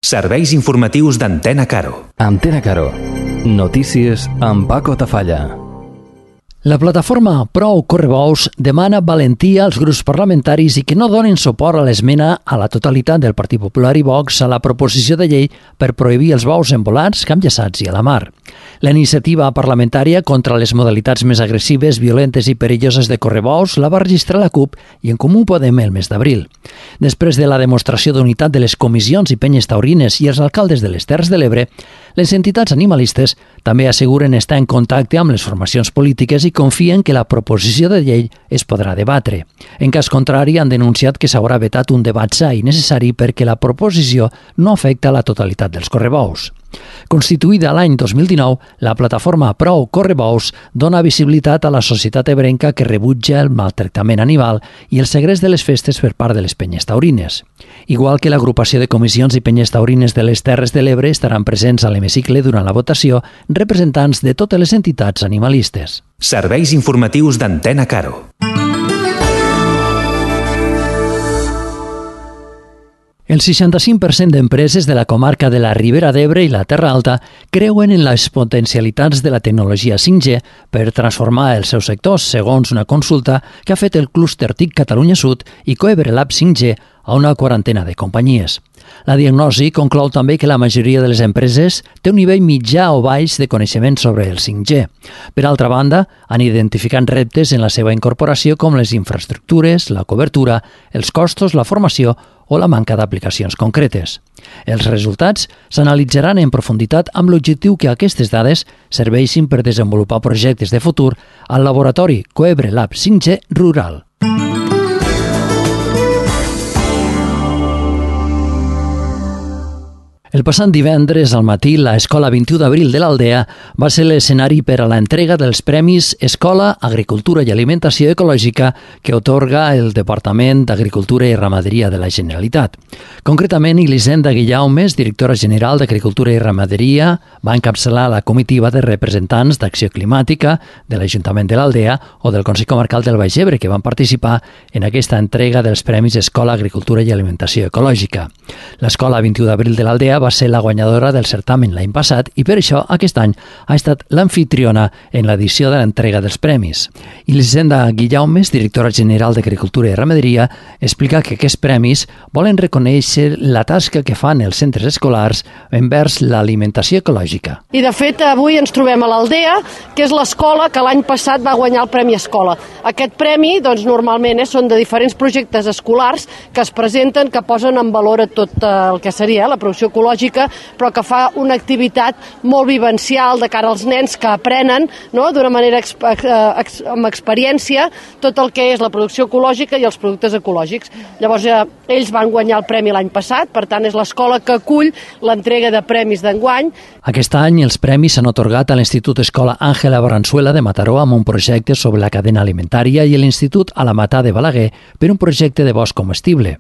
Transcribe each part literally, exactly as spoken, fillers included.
Serveis informatius d'Antena Caro. Antena Caro. Notícies amb Paco Tafalla. La plataforma Prou Correbous demana valentia als grups parlamentaris i que no donin suport a l'esmena a la totalitat del Partit Popular i Vox a la proposició de llei per prohibir els bous envolats, camp-llaçats i a la mar. La iniciativa parlamentària contra les modalitats més agressives, violentes i perilloses de correbous la va registrar la CUP i En Comú Podem el mes d'abril. Després de la demostració d'unitat de les comissions i penyes taurines i els alcaldes de les Terres de l'Ebre, les entitats animalistes també asseguren estar en contacte amb les formacions polítiques i confien que la proposició de llei es podrà debatre. En cas contrari, han denunciat que s'haurà vetat un debat sa i necessari perquè la proposició no afecta la totalitat dels correbous. Constituïda l'any dos mil dinou, la plataforma Prou Correbous dona visibilitat a la societat ebrenca que rebutja el maltractament animal i el segrest de les festes per part de les penyes taurines. Igual que l'agrupació de comissions i penyes taurines de les Terres de l'Ebre estaran presents a l'hemicicle durant la votació representants de totes les entitats animalistes. Serveis informatius d'Antena Caro. El seixanta-cinc per cent d'empreses de la comarca de la Ribera d'Ebre i la Terra Alta creuen en les potencialitats de la tecnologia cinc G per transformar els seus sectors, segons una consulta que ha fet el clúster T I C Catalunya Sud i Coebre Lab cinc G a una quarantena de companyies. La diagnosi conclou també que la majoria de les empreses té un nivell mitjà o baix de coneixement sobre el cinc G. Per altra banda, han identificat reptes en la seva incorporació com les infraestructures, la cobertura, els costos, la formació o la manca d'aplicacions concretes. Els resultats s'analitzaran en profunditat amb l'objectiu que aquestes dades serveixin per desenvolupar projectes de futur al laboratori Coebre Lab cinc G Rural. El passat divendres al matí, l'Escola vint-i-u d'abril de l'Aldea va ser l'escenari per a l'entrega dels Premis Escola, Agricultura i Alimentació Ecològica que atorga el Departament d'Agricultura i Ramaderia de la Generalitat. Concretament, Elisenda Guillaumes, directora general d'Agricultura i Ramaderia, va encapçalar la comitiva de representants d'Acció Climàtica, de l'Ajuntament de l'Aldea o del Consell Comarcal del Baix Ebre, que van participar en aquesta entrega dels Premis Escola, Agricultura i Alimentació Ecològica. L'Escola vint-i-u d'abril de l'Aldea va ser la guanyadora del certamen l'any passat i per això aquest any ha estat l'anfitriona en l'edició de l'entrega dels premis. Elisenda Guillaumes, directora general d'Agricultura i Ramaderia, explica que aquests premis volen reconèixer la tasca que fan els centres escolars envers l'alimentació ecològica. I de fet avui ens trobem a l'Aldea, que és l'escola que l'any passat va guanyar el Premi Escola. Aquest premi doncs, normalment eh, són de diferents projectes escolars que es presenten, que posen en valor a tot el que seria eh, la producció ecològica, però que fa una activitat molt vivencial de cara als nens que aprenen no? d'una manera ex ex amb experiència tot el que és la producció ecològica i els productes ecològics. Llavors eh, ells van guanyar el premi l'any passat, per tant és l'escola que acull l'entrega de premis d'enguany. Aquest any els premis s'han atorgat a l'Institut Escola Àngela Barranzuela de Mataró amb un projecte sobre la cadena alimentària i l'Institut Alamatà de Balaguer per un projecte de bosc comestible.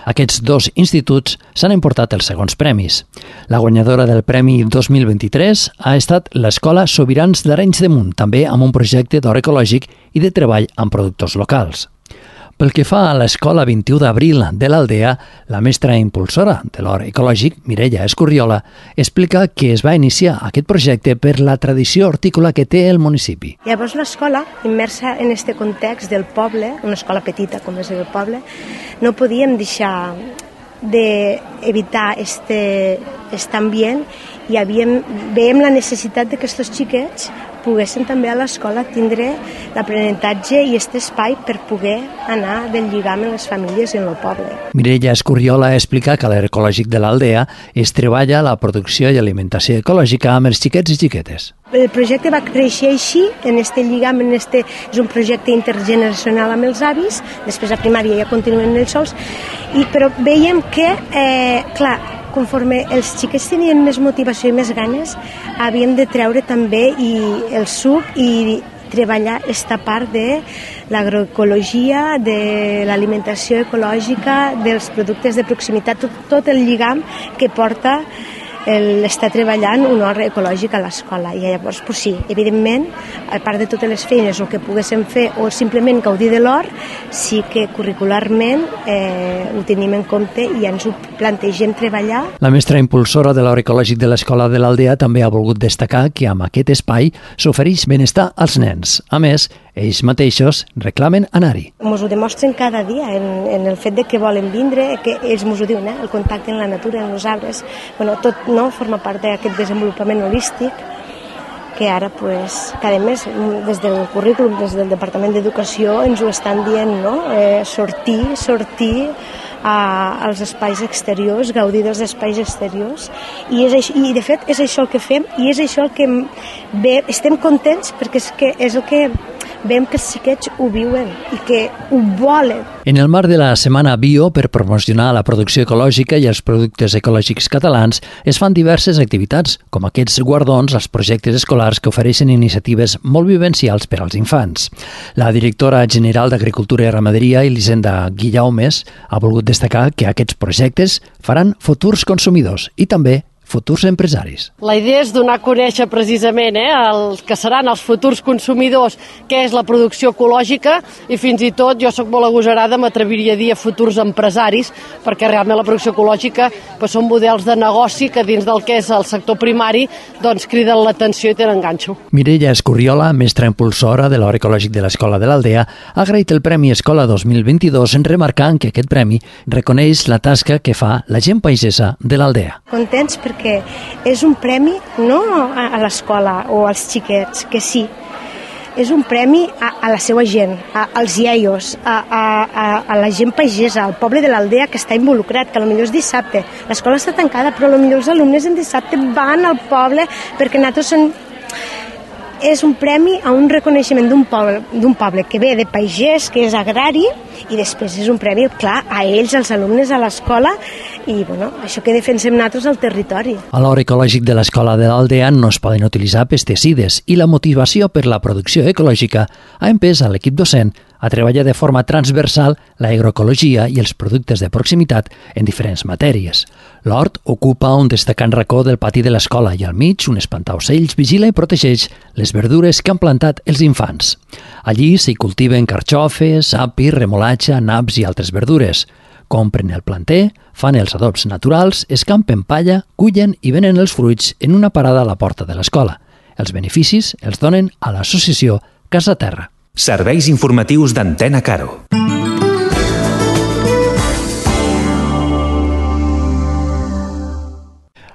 Aquests dos instituts s'han emportat els segons premis. La guanyadora del Premi dos mil vint-i-tres ha estat l'Escola Sobirans d'Arenys de Munt, també amb un projecte d'or ecològic i de treball amb productors locals. Pel que fa a l'Escola vint-i-u d'abril de l'Aldea, la mestra impulsora de l'or ecològic, Mireia Escurriola, explica que es va iniciar aquest projecte per la tradició hortícola que té el municipi. Llavors l'escola, immersa en aquest context del poble, una escola petita com és el poble, no podíem deixar d'evitar aquest ambient i havíem, veiem la necessitat que aquests xiquets poguessin també a l'escola tindre l'aprenentatge i aquest espai per poder anar del lligam amb les famílies i en el poble. Mireia Escurriola explica que a l'Ecològic de l'Aldea es treballa la producció i alimentació ecològica amb els xiquets i xiquetes. El projecte va créixer així, en este lligam, en este, és un projecte intergeneracional amb els avis, després a primària ja continuen ells sols, i, però veiem que, eh, clar, conforme els xiquets tenien més motivació i més ganes, havíem de treure també i el suc i treballar aquesta part de l'agroecologia, de l'alimentació ecològica, dels productes de proximitat, tot, tot el lligam que porta el, està treballant un hort ecològic a l'escola. I llavors, pues sí, evidentment, a part de totes les feines o que poguéssim fer o simplement gaudir de l'hort, sí que curricularment eh, ho tenim en compte i ens ho plantegem treballar. La mestra impulsora de l'hort ecològic de l'Escola de l'Aldea també ha volgut destacar que amb aquest espai s'ofereix benestar als nens. A més, ells mateixos reclamen anar-hi. Ens ho demostren cada dia en, en el fet de que volen vindre, que ells ens ho diuen, eh? El contacte amb la natura, amb els arbres, bueno, tot no forma part d'aquest desenvolupament holístic que ara, pues, cada mes, des del currículum, des del Departament d'Educació, ens ho estan dient, no? Eh, sortir, sortir a, als espais exteriors, gaudir dels espais exteriors, i, és, i de fet és això el que fem, i és això el que ve, estem contents perquè és, que és el que veiem que els xiquets ho viuen i que ho volen. En el marc de la Setmana Bio, per promocionar la producció ecològica i els productes ecològics catalans, es fan diverses activitats, com aquests guardons als projectes escolars que ofereixen iniciatives molt vivencials per als infants. La directora general d'Agricultura i Ramaderia, Elisenda Guillaumes, ha volgut destacar que aquests projectes faran futurs consumidors i també futurs empresaris. La idea és donar a conèixer precisament eh, el que seran els futurs consumidors, què és la producció ecològica, i fins i tot, jo sóc molt agosarada, m'atreviria a dir a futurs empresaris, perquè realment la producció ecològica pues, són models de negoci que dins del que és el sector primari doncs criden l'atenció i tenen ganxo. Mireia Escurriola, mestra impulsora de l'hort ecològic de l'Escola de l'Aldea, ha agraït el Premi Escola dos mil vint-i-dos en remarcant que aquest premi reconeix la tasca que fa la gent paisesa de l'Aldea. Contents perquè és un premi no a l'escola o als xiquets, que sí, és un premi a, a la seva gent, a, als iaios, a, a, a la gent pagesa, al poble de l'Aldea que està involucrat, que potser és dissabte. L'escola està tancada, però potser els alumnes en dissabte van al poble perquè nosaltres són... És un premi a un reconeixement d'un poble, d'un poble que ve de pagès, que és agrari, i després és un premi, clar, a ells, als alumnes, a l'escola, i bueno, això que defensem nosaltres al territori. A l'hort ecològic de l'Escola de l'Aldea no es poden utilitzar pesticides i la motivació per la producció ecològica ha empès a l'equip docent a treballar de forma transversal l'agroecologia i els productes de proximitat en diferents matèries. L'hort ocupa un destacant racó del pati de l'escola i al mig un espantaocells vigila i protegeix les verdures que han plantat els infants. Allí s'hi cultiven carxofes, api, remolatxa, naps i altres verdures. Compren el planter, fan els adobs naturals, escampen palla, cullen i venen els fruits en una parada a la porta de l'escola. Els beneficis els donen a l'associació Casa Terra. Serveis informatius d'Antena Caro.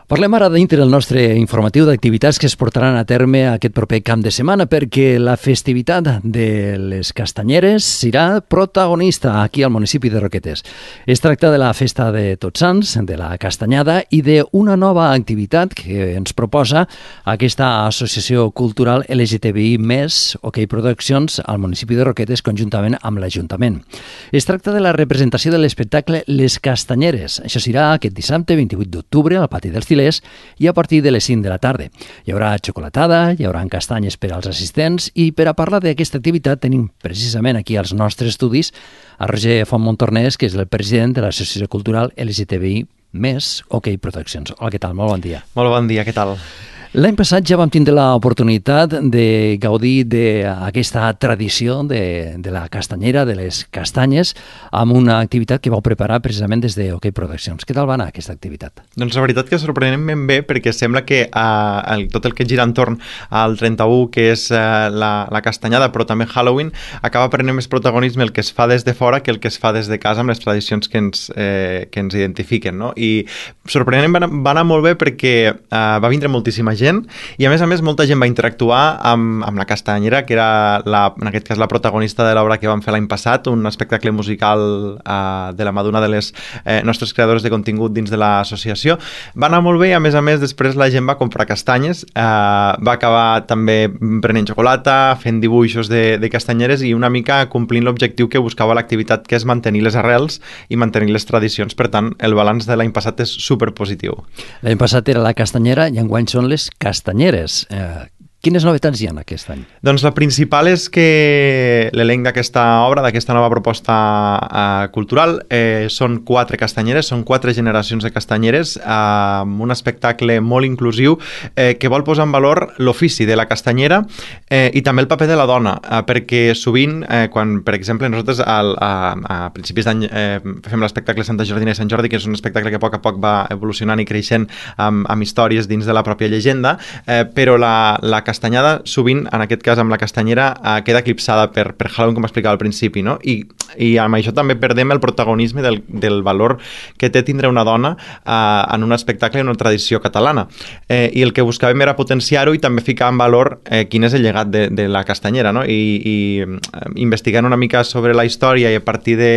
Parlem ara dintre del nostre informatiu d'activitats que es portaran a terme aquest proper cap de setmana, perquè la festivitat de les castanyeres serà protagonista aquí al municipi de Roquetes. Es tracta de la festa de Tots Sants, de la castanyada i d'una nova activitat que ens proposa aquesta associació cultural L G T B I més OK Productions al municipi de Roquetes conjuntament amb l'Ajuntament. Es tracta de la representació de l'espectacle Les Castanyeres. Això serà aquest dissabte vint-i-vuit d'octubre al pati dels Tilers i a partir de les cinc de la tarda. Hi haurà xocolatada, hi haurà castanyes per als assistents i per a parlar d'aquesta activitat tenim precisament aquí als nostres estudis a Roger Fontmontornès, que és el president de l'Associació Cultural L G T B I més OK Productions. Hola, què tal? Molt bon dia. Molt bon dia, què tal? L'any passat ja vam tindre l'oportunitat de gaudir d'aquesta tradició de, de la castanyera, de les castanyes, amb una activitat que vau preparar precisament des de OK Productions. Què tal va anar aquesta activitat? Doncs la veritat que sorprenentment bé, perquè sembla que uh, el, tot el que gira entorn al trenta-u, que és uh, la, la castanyada, però també Halloween, acaba prenent més protagonisme el que es fa des de fora que el que es fa des de casa amb les tradicions que ens, eh, que ens identifiquen, no? I sorprenentment va anar, va anar molt bé perquè uh, va vindre moltíssima gent i a més a més molta gent va interactuar amb, amb la castanyera, que era la, en aquest cas la protagonista de l'obra que vam fer l'any passat, un espectacle musical uh, de la mà d'una de les eh, nostres creadores de contingut dins de l'associació. Va anar molt bé i a més a més després la gent va comprar castanyes, uh, va acabar també prenent xocolata, fent dibuixos de, de castanyeres i una mica complint l'objectiu que buscava l'activitat, que és mantenir les arrels i mantenir les tradicions. Per tant, el balanç de l'any passat és superpositiu. L'any passat era la castanyera i enguany són les castanyeres. Eh, Quines novetats hi ha aquest any? Doncs la principal és que l'elenc d'aquesta obra, d'aquesta nova proposta uh, cultural, eh, són quatre castanyeres, són quatre generacions de castanyeres, eh, amb un espectacle molt inclusiu eh, que vol posar en valor l'ofici de la castanyera eh, i també el paper de la dona, eh, perquè sovint, eh, quan, per exemple, nosaltres al, a, a principis d'any eh, fem l'espectacle Santa Jordina i Sant Jordi, que és un espectacle que a poc a poc va evolucionant i creixent amb, amb històries dins de la pròpia llegenda, eh, però la, la castanyada, sovint, en aquest cas amb la castanyera, eh, queda eclipsada per, per Halloween, com explicava al principi, no? I, i amb això també perdem el protagonisme del, del valor que té tindre una dona eh, en un espectacle i una tradició catalana. Eh, I el que buscàvem era potenciar-ho i també ficar en valor eh, quin és el llegat de, de la castanyera, no? I, i eh, investigant una mica sobre la història i a partir de,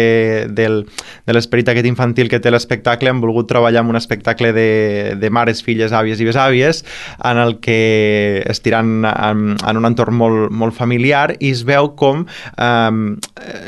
del, de l'esperit aquest infantil que té l'espectacle, hem volgut treballar amb un espectacle de, de mares, filles, àvies i besàvies, en el que estirant en, en un entorn molt, molt familiar i es veu com eh,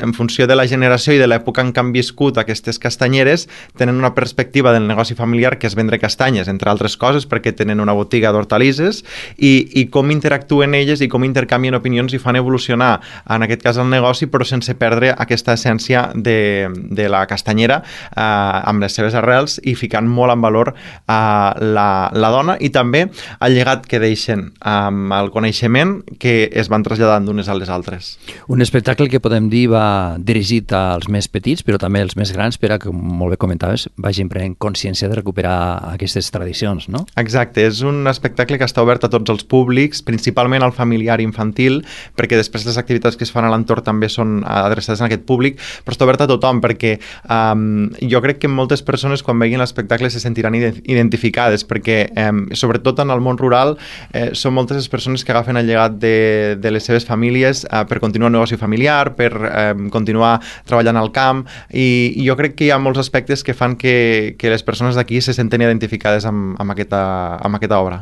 en funció de la generació i de l'època en què han viscut aquestes castanyeres tenen una perspectiva del negoci familiar que és vendre castanyes, entre altres coses perquè tenen una botiga d'hortalisses i, i com interactuen elles i com intercanvien opinions i fan evolucionar en aquest cas el negoci però sense perdre aquesta essència de, de la castanyera eh, amb les seves arrels i ficant molt en valor eh, la, la dona i també el llegat que deixen amb el coneixement que es van traslladant d'unes a les altres. Un espectacle que podem dir va dirigit als més petits, però també als més grans, per a que, molt bé comentaves, vagin prenent consciència de recuperar aquestes tradicions, no? Exacte, és un espectacle que està obert a tots els públics, principalment al familiar i infantil, perquè després les activitats que es fan a l'entorn també són adreçades a aquest públic, però està obert a tothom, perquè um, jo crec que moltes persones quan veguin l'espectacle se sentiran identificades, perquè um, sobretot en el món rural eh, són moltes les persones que agafen el llegat de, de les seves famílies uh, per continuar un negoci familiar, per um, continuar treballant al camp i, i jo crec que hi ha molts aspectes que fan que, que les persones d'aquí se senten identificades amb, amb, aquesta, amb aquesta obra.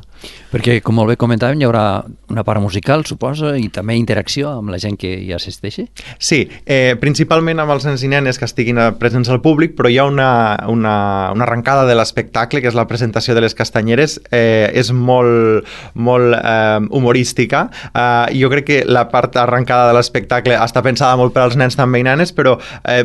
Perquè, com molt bé comentàvem, hi haurà una part musical, suposa, i també interacció amb la gent que hi assisteixi? Sí, eh, principalment amb els nens i nenes que estiguin presents al públic, però hi ha una, una, una arrencada de l'espectacle, que és la presentació de les castanyeres, eh, és molt, molt eh, humorística. Eh, jo crec que la part arrencada de l'espectacle està pensada molt per als nens també i nenes, però eh,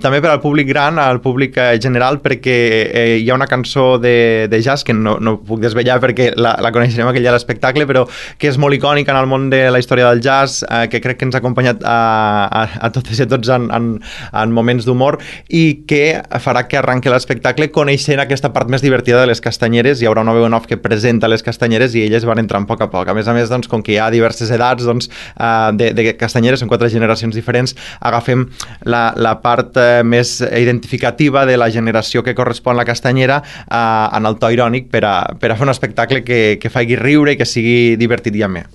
també per al públic gran, al públic eh, general, perquè eh, hi ha una cançó de, de jazz que no, no puc desvetllar perquè la, la coneixerem aquell dia a l'espectacle, però que és molt icònica en el món de la història del jazz, eh, que crec que ens ha acompanyat a, a, a totes i a tots en, en, en moments d'humor i que farà que arranqui l'espectacle coneixent aquesta part més divertida de les castanyeres. Hi haurà una veu en off que presenta les castanyeres i elles van entrant a poc a poc. A més a més, doncs, com que hi ha diverses edats doncs, eh, de, de castanyeres, són quatre generacions diferents, agafem la, la part eh, més identificativa de la generació que correspon a la castanyera eh, en el to irònic per a, per a fer un espectacle que, que faci riure i que sigui divertit i amè.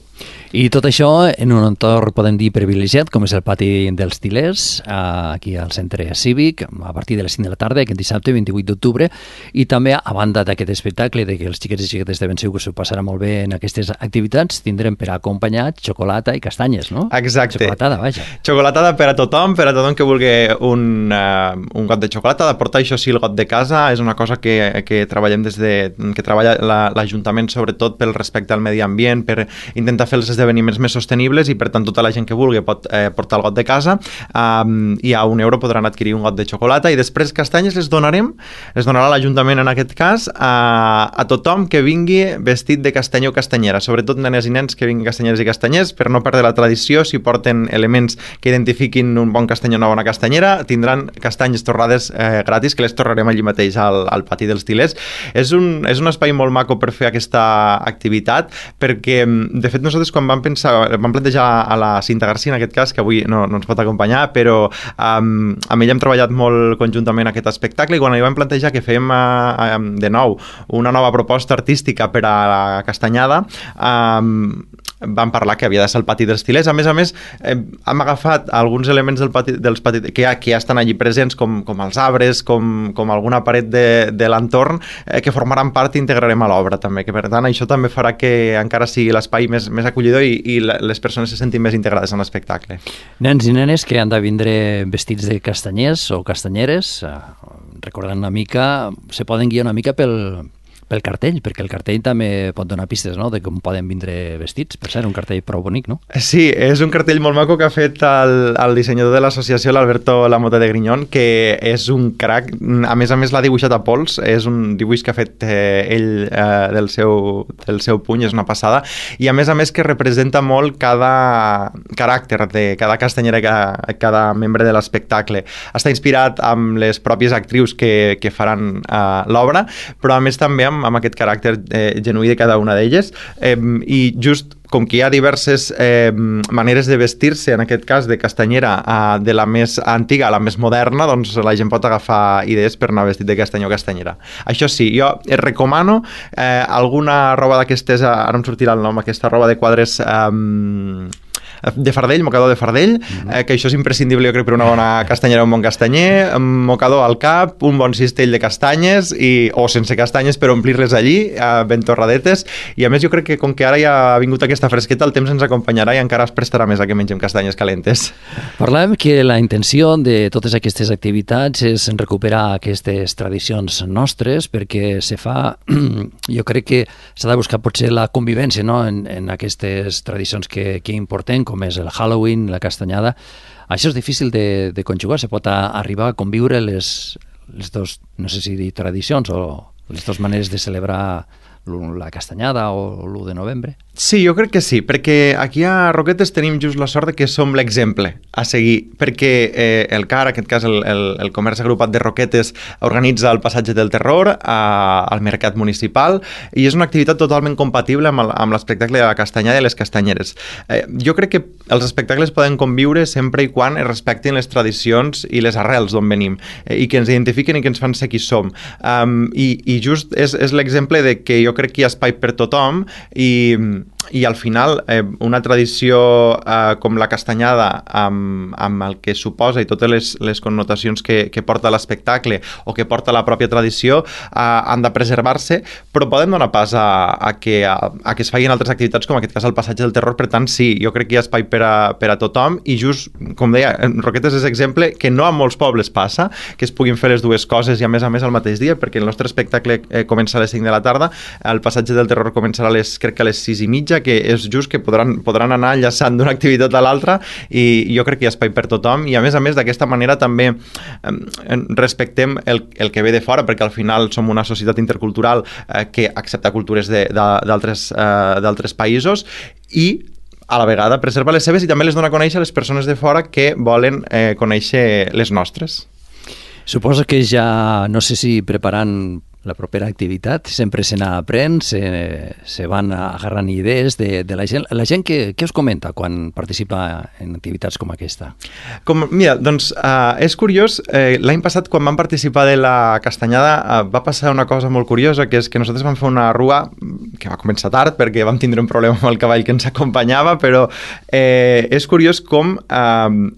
I tot això en un entorn, podem dir, privilegiat, com és el pati dels Til·lers, aquí al centre cívic, a partir de les cinc de la tarda, aquest dissabte, vint-i-vuit d'octubre, i també, a banda d'aquest espectacle, de que els xiquets i xiquetes de ben segur que s'ho passarà molt bé en aquestes activitats, tindrem per acompanyar xocolata i castanyes, no? Exacte. Xocolatada, vaja. Xocolatada per a tothom, per a tothom que vulgui un, uh, un got de xocolata, de portar això sí el got de casa, és una cosa que, que treballem des de... que treballa l'Ajuntament sobretot pel respecte al medi ambient, per intentar fer els esdeveniments més sostenibles i per tant tota la gent que vulgui pot eh, portar el got de casa um, i a un euro podran adquirir un got de xocolata i després castanyes les donarem, les donarà l'Ajuntament en aquest cas a, a tothom que vingui vestit de castanyer o castanyera, sobretot nenes i nens que vinguin castanyeres i castanyers per no perdre la tradició. Si porten elements que identifiquin un bon castanyer o una bona castanyera tindran castanyes torrades eh, gratis que les torrarem allí mateix al, al pati dels Til·lers. És un, és un espai molt maco per fer aquesta activitat perquè de fet nosaltres quan vam pensar, vam plantejar a la Cinta Garcia en aquest cas, que avui no, no ens pot acompanyar, però um, amb ella hem treballat molt conjuntament aquest espectacle i quan li vam plantejar que fèiem uh, um, de nou una nova proposta artística per a la castanyada, um, vam parlar que havia de ser el pati dels Til·lers. A més a més, eh, hem agafat alguns elements del pati, dels pati, que, ja, que ja estan allí presents, com, com els arbres, com, com alguna paret de, de l'entorn, eh, que formaran part i integrarem a l'obra també, que per tant això també farà que encara sigui l'espai més, més acollidor i, i les persones se sentin més integrades en l'espectacle. Nens i nenes que han de vindre vestits de castanyers o castanyeres, eh, recordant una mica, se poden guiar una mica pel pel cartell, perquè el cartell també pot donar pistes, no?, de com poden vindre vestits. Per ser un cartell prou bonic, no? Sí, és un cartell molt maco que ha fet el, el dissenyador de l'associació, l'Alberto Lamote de Grignon, que és un crac. A més a més l'ha dibuixat a pols, és un dibuix que ha fet eh, ell eh, del, seu, del seu puny, és una passada, i a més a més que representa molt cada caràcter de cada castanyera, cada, cada membre de l'espectacle. Està inspirat amb les pròpies actrius que, que faran eh, l'obra, però a més també amb, amb aquest caràcter eh, genuí de cada una d'elles, eh, i just com que hi ha diverses eh, maneres de vestir-se, en aquest cas de castanyera, eh, de la més antiga a la més moderna, doncs la gent pot agafar idees per anar vestit de castanyó o castanyera. Això sí, jo recomano eh, alguna roba d'aquestes, ara em sortirà el nom, aquesta roba de quadres... Eh, de fardell, mocador de fardell, mm-hmm. eh, que això és imprescindible, jo crec, per una bona castanyera o un bon castanyer, mocador al cap, un bon cistell de castanyes, i, o sense castanyes per omplir-les allí, eh, ben torradetes, i a més jo crec que com que ara ja ha vingut aquesta fresqueta, el temps ens acompanyarà i encara es prestarà més a que mengem castanyes calentes. Parlàvem que la intenció de totes aquestes activitats és recuperar aquestes tradicions nostres, perquè se fa, jo crec que s'ha de buscar potser la convivència, no?, en, en aquestes tradicions que, que importem, com és el Halloween, la castanyada. Això és difícil de, de conjugar, se pot a, arribar a conviure les, les dos, no sé si dir tradicions o les dues maneres de celebrar la castanyada o l'u de novembre. Sí, jo crec que sí, perquè aquí a Roquetes tenim just la sort de que som l'exemple a seguir, perquè eh, el C A R, en aquest cas el, el, el Comerç Agrupat de Roquetes, organitza el Passatge del Terror a, al Mercat Municipal, i és una activitat totalment compatible amb, el, amb l'espectacle de la castanyada i les castanyeres. Eh, jo crec que els espectacles poden conviure sempre i quan es respectin les tradicions i les arrels d'on venim, eh, i que ens identifiquen i que ens fan ser qui som. Um, i, I just és, és l'exemple de que jo crec que hi ha espai per tothom, i i al final eh, una tradició eh, com la castanyada amb, amb el que suposa i totes les, les connotacions que, que porta l'espectacle o que porta la pròpia tradició eh, han de preservar-se, però poden donar pas a, a, que, a, a que es facin altres activitats, com en aquest cas el Passatge del Terror. Per tant, sí, jo crec que hi ha espai per a, per a tothom, i just, com deia, Roquetes és exemple que no a molts pobles passa, que es puguin fer les dues coses i a més a més al mateix dia, perquè el nostre espectacle eh, comença a les cinc de la tarda, el Passatge del Terror començarà a les, crec que a les sis i mitja, que és just que podran, podran anar enllaçant d'una activitat a l'altra, i jo crec que hi ha espai per tothom, i a més a més d'aquesta manera també eh, respectem el, el que ve de fora, perquè al final som una societat intercultural eh, que accepta cultures d'altres eh, d'altres països, i a la vegada preserva les seves i també les dona a conèixer a les persones de fora que volen eh, conèixer les nostres. Suposo que ja, no sé si preparant la propera activitat, sempre se n'aprèn, se, se van agarrant idees de, de la gent. La gent què, què us comenta quan participa en activitats com aquesta? Com, mira, doncs uh, és curiós, eh, l'any passat quan vam participar de la castanyada uh, va passar una cosa molt curiosa, que és que nosaltres vam fer una rua que va començar tard perquè vam tindre un problema amb el cavall que ens acompanyava, però eh, és curiós com... Uh,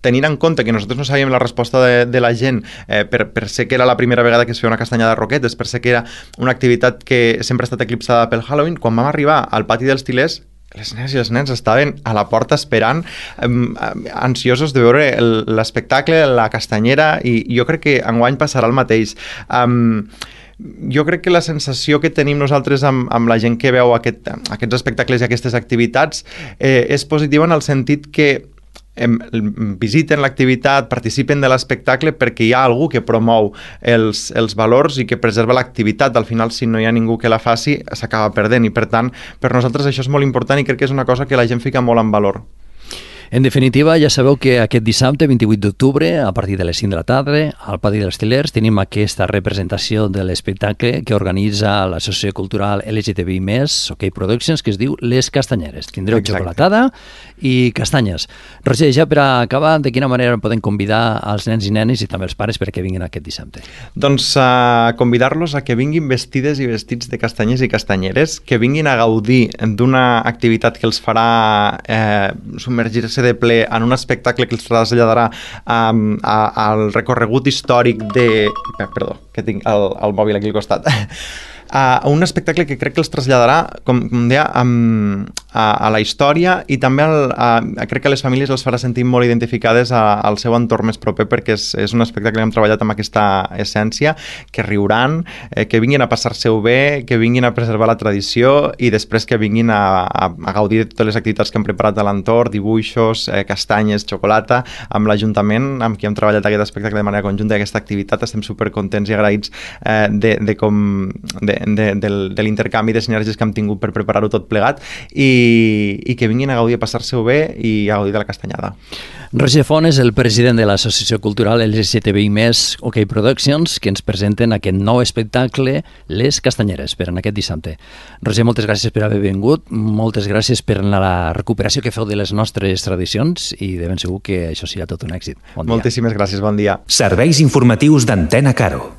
tenint en compte que nosaltres no sabíem la resposta de, de la gent, eh, per, per ser que era la primera vegada que es feia una castanyada de Roquetes, per ser que era una activitat que sempre ha estat eclipsada pel Halloween, quan vam arribar al pati dels Tilers, les nenes i els nens estaven a la porta esperant, eh, ansiosos de veure l'espectacle, la castanyera, i jo crec que enguany passarà el mateix. Um, Jo crec que la sensació que tenim nosaltres amb, amb la gent que veu aquest, aquests espectacles i aquestes activitats eh, és positiva en el sentit que visiten l'activitat, participen de l'espectacle perquè hi ha algú que promou els, els valors i que preserva l'activitat. Al final, si no hi ha ningú que la faci, s'acaba perdent, i per tant, per nosaltres això és molt important i crec que és una cosa que la gent fica molt en valor. En definitiva, ja sabeu que aquest dissabte, vint-i-vuit d'octubre, a partir de les cinc de la tarda, al Pati dels Tilers, tenim aquesta representació de l'espectacle que organitza l'Associació Cultural L G T B I més, OK Productions, que es diu Les Castanyeres. Tindreu Exacte. Xocolatada i castanyes. Roger, ja per acabar, de quina manera podem convidar als nens i nenes i també els pares perquè vinguin aquest dissabte? Doncs uh, convidar-los a que vinguin vestides i vestits de castanyers i castanyeres, que vinguin a gaudir d'una activitat que els farà eh, submergir-se de ple en un espectacle que els traslladarà um, a, al recorregut històric de... Perdó, que tinc el, el mòbil aquí al costat. a un espectacle que crec que els traslladarà, com, com deia, a, a, a la història i també al, a, a, crec que a les famílies els farà sentir molt identificades a, al seu entorn més proper, perquè és, és un espectacle que hem treballat amb aquesta essència, que riuran, eh, que vinguin a passar-se-ho bé, que vinguin a preservar la tradició i després que vinguin a, a, a gaudir de totes les activitats que hem preparat a l'entorn, dibuixos, eh, castanyes, xocolata, amb l'Ajuntament, amb qui hem treballat aquest espectacle de manera conjunta i aquesta activitat. Estem supercontents i agraïts eh, de, de, com, de, de, de, de l'intercanvi de sinergies que hem tingut per preparar-ho tot plegat i, i que vinguin a gaudir, a passar-se-ho bé i a gaudir de la castanyada. Roger Font és el president de l'Associació Cultural L G T B I més, OK Productions, que ens presenten aquest nou espectacle, Les Castanyeres, per en aquest dissabte. Roger, moltes gràcies per haver vingut, moltes gràcies per la recuperació que feu de les nostres tradicions i de ben segur que això serà tot un èxit. Bon dia. Moltíssimes gràcies, bon dia. Serveis informatius d'Antena Caro.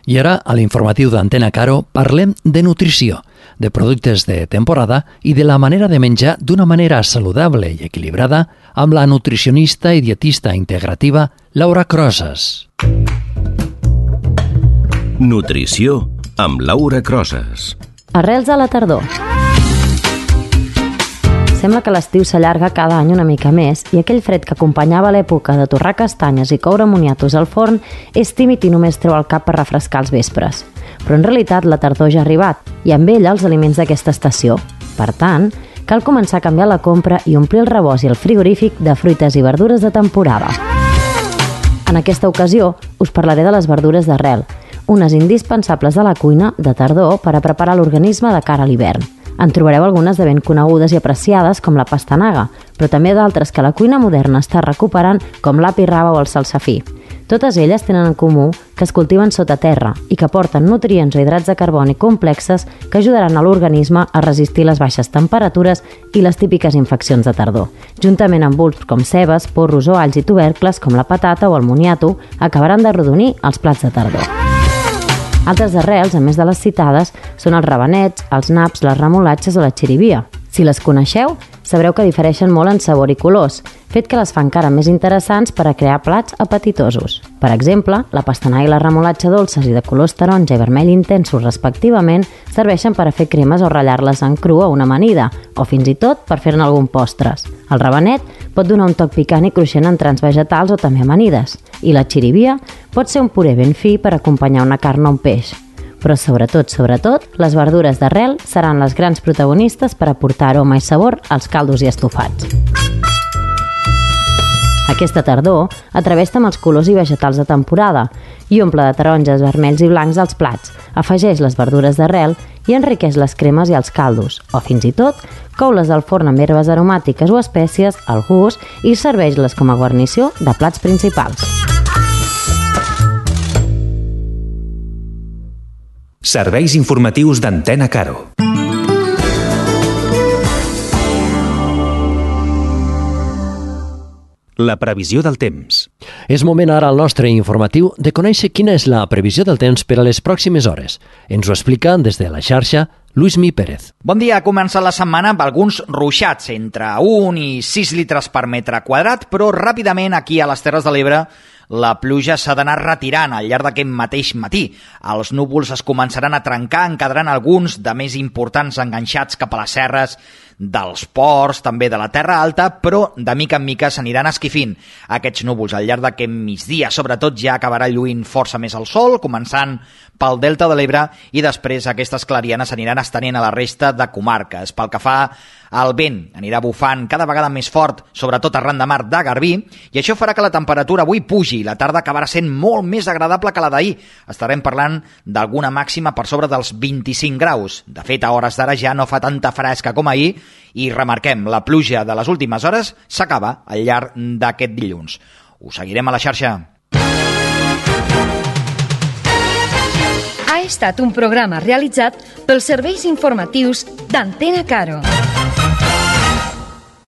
I ara, a l'informatiu d'Antena Caro, parlem de nutrició, de productes de temporada i de la manera de menjar d'una manera saludable i equilibrada amb la nutricionista i dietista integrativa Laura Crosas. Nutrició amb Laura Crosas. Arrels a la tardor. Sembla que l'estiu s'allarga cada any una mica més i aquell fred que acompanyava l'època de torrar castanyes i coure moniatos al forn és tímid i només treu el cap per refrescar els vespres. Però en realitat la tardor ja ha arribat i amb ella els aliments d'aquesta estació. Per tant, cal començar a canviar la compra i omplir el rebost i el frigorífic de fruites i verdures de temporada. En aquesta ocasió us parlaré de les verdures d'arrel, unes indispensables de la cuina de tardor per a preparar l'organisme de cara a l'hivern. En trobareu algunes de ben conegudes i apreciades com la pastanaga, però també d'altres que la cuina moderna està recuperant com l'api raba o el salsafí. Totes elles tenen en comú que es cultiven sota terra i que porten nutrients o hidrats de carboni complexes que ajudaran a l'organisme a resistir les baixes temperatures i les típiques infeccions de tardor. Juntament amb bulbs com cebes, porros o alls i tubercles com la patata o el moniato, acabaran d'arrodonir els plats de tardor. Altres arrels, a més de les citades, són els rabanets, els naps, les remolatxes o la xirivia. Si les coneixeu, sabreu que difereixen molt en sabor i colors, fet que les fa encara més interessants per a crear plats apetitosos. Per exemple, la pastanaga i la remolatxa dolces i de colors taronja i vermell intensos respectivament serveixen per a fer cremes o ratllar-les en cru o una amanida, o fins i tot per fer-ne algun postres. El rabanet pot donar un toc picant i cruixent en trans vegetals o també amanides, i la xirivia pot ser un puré ben fi per acompanyar una carn o un peix. Però sobretot, sobretot, les verdures d'arrel seran les grans protagonistes per aportar aroma i sabor als caldos i estofats. Aquesta tardor, atreveix-te amb els colors i vegetals de temporada i omple de taronges, vermells i blancs als plats, afegeix les verdures d'arrel i enriqueix les cremes i els caldos, o fins i tot, cou-les al forn amb herbes aromàtiques o espècies al gust i serveix-les com a guarnició de plats principals. Serveis informatius d'Antena Caro. La previsió del temps. És moment ara al nostre informatiu de conèixer quina és la previsió del temps per a les pròximes hores. Ens ho explica des de la xarxa Luismi Pérez. Bon dia, ha començat la setmana amb alguns ruixats, entre un i sis litres per metre quadrat, però ràpidament aquí a les Terres de l'Ebre la pluja s'ha d'anar retirant al llarg d'aquest mateix matí. Els núvols es començaran a trencar, en quedaran alguns de més importants enganxats cap a les serres dels ports, també de la Terra Alta, però de mica en mica s'aniran esquifint aquests núvols. Al llarg d'aquest migdia, sobretot, ja acabarà lluint força més el sol, començant pel Delta de l'Ebre, i després aquestes clarianes s'aniran estenent a la resta de comarques. Pel que fa al vent, anirà bufant cada vegada més fort, sobretot arran de mar de Garbí, i això farà que la temperatura avui pugi. La tarda acabarà sent molt més agradable que la d'ahir. Estarem parlant d'alguna màxima per sobre dels vint-i-cinc graus. De fet, a hores d'ara ja no fa tanta fresca com ahir, i remarquem, la pluja de les últimes hores s'acaba al llarg d'aquest dilluns. Us seguirem a la xarxa. Ha estat un programa realitzat pels serveis informatius d'Antena Caro.